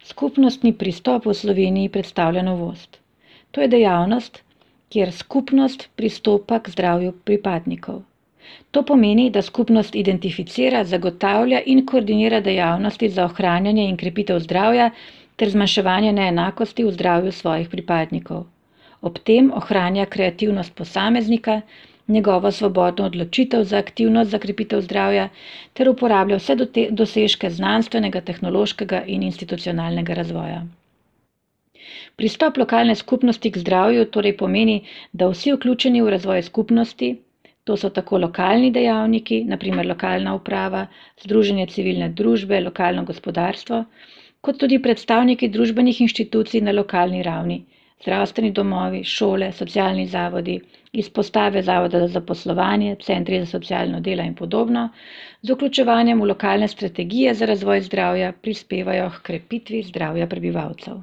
Skupnostni pristop v Sloveniji predstavlja novost. To je dejavnost, kjer skupnost pristopa k zdravju pripadnikov. To pomeni, da skupnost identificira, zagotavlja in koordinira dejavnosti za ohranjanje in krepitev zdravja ter zmanjševanje neenakosti v zdravju svojih pripadnikov. Ob tem ohranja kreativnost posameznika, njegovo svobodno odločitev za aktivnost za krepitev zdravja ter uporablja vse dosežke znanstvenega, tehnološkega in institucionalnega razvoja. Pristop lokalne skupnosti k zdravju torej pomeni, da vsi vključeni v razvoj skupnosti, to so tako lokalni dejavniki, naprimer lokalna uprava, združenje civilne družbe, lokalno gospodarstvo, kot tudi predstavniki družbenih inštitucij na lokalni ravni, zdravstveni domovi, šole, socialni zavodi, izpostave zavoda za zaposlovanje, centri za socialno delo in podobno, z vključevanjem v lokalne strategije za razvoj zdravja prispevajo h krepitvi zdravja prebivalcev.